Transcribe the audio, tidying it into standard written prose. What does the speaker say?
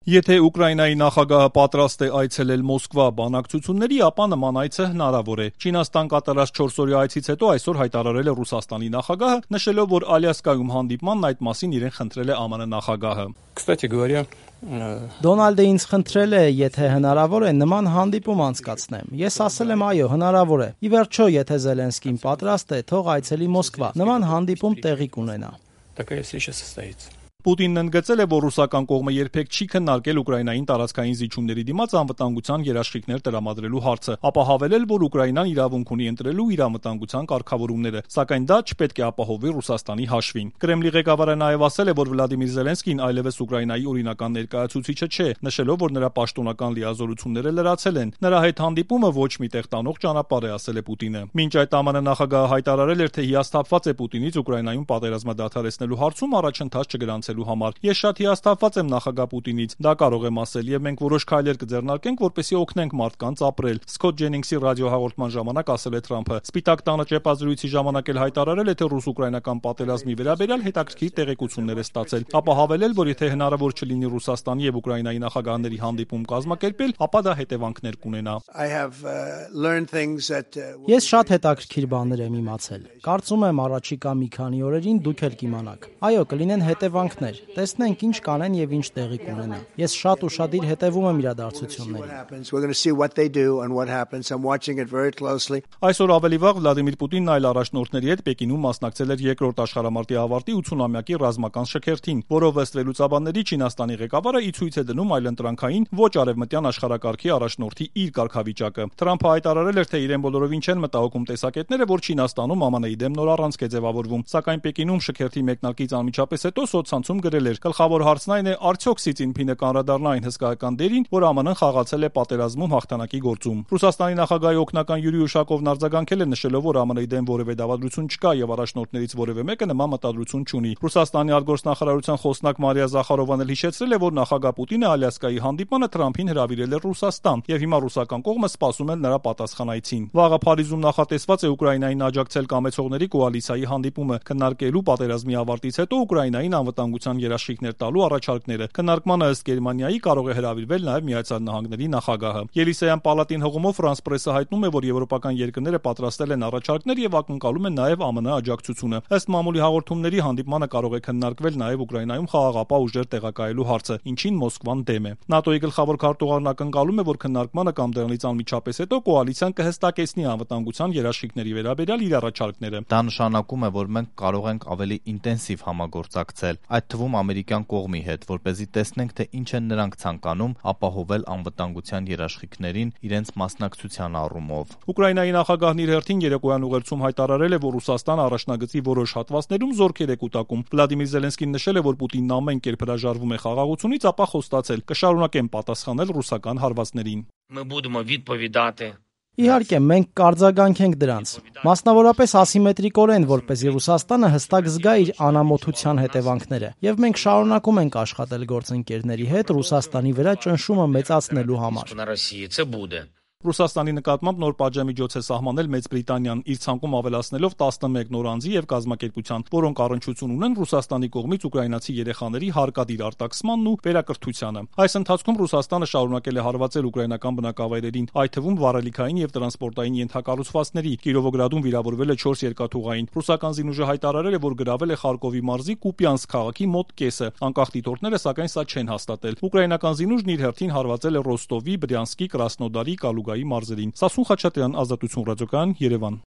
Եթե Ուկրաինայի նախագահը պատրաստ է այցելել Մոսկվա բանակցությունների, ապա նման այցը հնարավոր է։ Չինաստան կատարած 4-օրյա այցից հետո այսօր հայտարարել է Ռուսաստանի նախագահը, նշելով, որ Ալյասկայում հանդիպմանն այդ մասին իրեն խնդրել է ԱՄՆ նախագահը։ Դոնալդը ինձ խնդրել է, եթե հնարավոր է, նման հանդիպում անցկացնեմ։ Ես ասել եմ՝ այո, հնարավոր է։ Ի վերջո, եթե Զելենսկին պատրաստ է, թող այցելի Մոսկվա։ Նման հանդիպում տեղի կունենա։ Պուտինն ընդգծել է, որ ռուսական կողմը երբեք չի քննարկել Ուկրաինային տարածքային զիջումների դիմաց անվտանգության երաշխիքներ տրամադրելու հարցը, ապա հավելել, որ Ուկրաինան իրավունք ունի ընտրելու իր անվտանգության կարգավորումները, սակայն դա չպետք է ապահովի Ռուսաստանի հաշվին։ Կրեմլի ղեկավարը նաև ասել է, որ Վլադիմիր Զելենսկին այլևս Ուկրաինայի օրինական ներկայացուցիչը չէ, նշելով, որ նրա պաշտոնական լիազորությունները լրացել են։ Նրա հետ հանդիպումը ոչ մի տեղ տանող ճանապարհ է, ասել է Պուտինը։ Մինչ այդ ԱՄՆ նախագահը հայտարարել էր, թե հիասթափված է Պուտինից Ուկրաինայում պատերազմը դադարեցնելու հարցում առաջընթաց չգրանցելու համար։ Ես շատ հիասթափված եմ նախագահ Պուտինից, դա կարող եմ ասել, եւ մենք որոշ քայլեր կձեռնարկենք, որպեսզի օգնենք մարդկանց ապրել։ Սկոտ Ջենինգսի ռադիոհաղորդման ժամանակ ասել է Թրամփը։ Սպիտակ տանը ճեպազրույցի ժամանակ էլ հայտարարել է, թե ռուս-ուկրաինական պատերազմի վերաբերյալ հետաքրքիր տեղեկություններ է ստացել, ապա հավելել, որ եթե հնարավոր չլինի Ռուսաստանի եւ Ուկրաինայի նախագահների հանդիպում կազմակերպել, ապա դա հետևանքներ կունենա։ Ես շատ հետաքրքիր բաներ եմ իմացել։ Կարծում եմ առաջիկա մի քանի օրերին դուք էլ կիմանաք։ Այո, կլինեն հետևանքներ։ Տեսնենք ինչ կանեն եւ ինչ տեղի կունենա։ Ես շատ ուշադիր հետևում եմ իրադարձություններին։ Այսօր ավելի վաղ Վլադիմիր Պուտինն այլ առաջնորդների հետ Պեկինում մասնակցել էր երկրորդ աշխարհամարտի ավարտի 80-ամյակի ռազմական շքերթին, որով ըստ վերլուծաբանների Չինաստանի ղեկավարը ի ցույց է դնում այլընտրանքային ոչ արևմտյան աշխարհակարգի առաջնորդի իր կարգավիճակը։ Թրամփը հայտարարել էր, թե իրեն բոլորովին չեն մտահոգում տեսակետները, որ Չինաստանում ԱՄՆ-ի դեմ նոր առանցք է ձևավորվում, սակայն Պեկինում շքերթի մեկնարկից անմիջապես հետո սոցցանցում գրել էր. «Գլխավոր հարցն այն է, արդյոք Սի Ցինփինը կանրադառնա այն հսկայական դերին, որ ԱՄՆ-ն խաղացել է պատերազմում հաղթանակի գործում»։ Ռուսաստանի նախագահի օգնական Յուրի Ուշակովն արձագանքել է, նշելով, որ ԱՄՆ-ի դեմ որևէ դավադրություն չկա եւ առաջնորդներից որևէ մեկը նման մտադրություն չունի։ Ռուսաստանի արտգործնախարարության խոսնակ Մարիա Զախարովան էլ հիշեցրել է, որ նախագահ Պուտինը Ալյասկայի հանդիպմանը Թրամփին հրավիրել է Ռուսաստան եւ հիմա ռուսական կողմը սպասում է նրա պատասխան այցին։ Վաղը Փարիզում նախատեսված է Ուկրաինային աջակցել կամեցողների կոալիցիայի հանդիպումը, քննարկելու պատերազմի ավարտից հետո Ուկրաինային անվտանգության երաշխիքներ տալու առաջարկները։ Քննարկմանը ըստ Գերմանիայի կարող է հրավիրվել նաև Միացյալ Նահանգների նախագահը։ Ելիսեյան պալատին հղումով Ֆրանս պրեսը հայտնում է, որ եվրոպական երկրները պատրաստել են առաջարկներ եւ ակնկալում են նաև ԱՄՆ աջակցությունը։ Ըստ մամուլի հաղորդումների հանդիպմանը կարող է քննարկվել նաև Ուկրաինայում խաղաղապահ ուժեր տեղակայելու հարցը, ինչին Մոսկվան դեմ է։ ՆԱՏՕ-ի գլխավոր քարտուղարն ակնկալում է, որ քննարկմանը կամ դրանից անմիջապես հետո կոալիցիան կհստակեցնի անվտանգության երաշխիքների վերաբերյալ իր առաջարկները։ Դա նշանակում է, որ մենք կարող ենք ավելի ինտենսիվ համագործակցել, այդ թվում ամերիկյան կողմի հետ, որպեսզի տեսնենք, թե ինչ են նրանք ցանկանում ապահովել անվտանգության երաշխիքներին իրենց մասնակցության առումով։ Ուկրաինայի նախագահն իր հերթին երեկոյան ուղերձում հայտարարել է, որ Ռուսաստանը առաջնագծի որոշ հատվածներում զորքեր է կուտակում։ Վլադիմիր Զելենսկին նշել է, որ Պուտինն ամեն կերպ հրաժարվում է խաղաղությունից, ապա խոստացել. «Կշարունակեմ պատասխանել ռուսական հարվածներին»։ Իհարկե, մենք կարձագանքենք դրանց, մասնավորապես ասիմետրիկորեն, որպեսզի Ռուսաստանը հստակ զգա իր անամոթության հետևանքները, եւ մենք շարունակում ենք աշխատել գործընկերների հետ Ռուսաստանի վրա ճնշումը մեծացնելու համար։ Ռուսաստանի նկատմամբ նոր պատժամիջոց է սահմանել Մեծ Բրիտանիան, իր ցանկում ավելացնելով 11 նոր անձի եւ կազմակերպության, որոնք առնչություն ունեն Ռուսաստանի կողմից ուկրաինացի երեխաների հարկադիր արտաքսմանն ու վերակրթությանը։ Այս ընթացքում Ռուսաստանը շարունակել է հարվածել ուկրաինական բնակավայրերին, այդ թվում վառելիքային եւ տրանսպորտային ենթակառուցվածքների։ Կիրովոգրադում վիրավորվել է 4 երկաթուղային։ Ռուսական զինուժը հայտարարել է, որ գրավել է Խարկովի մարզի Կուպյանսկ քաղաքի մոտ կեսը։ Անկախ դիտորդները սակայն սա չեն հաստատել։ Ուկրաինական զինուժն իր հերթին հարվածել է Ռոստովի, Բրյանսկի, Կրասնոդարի, Կալուգայի մարզերին։ Սասուն Խաչատրյան, Ազատություն ռադիոկայան, Երևան։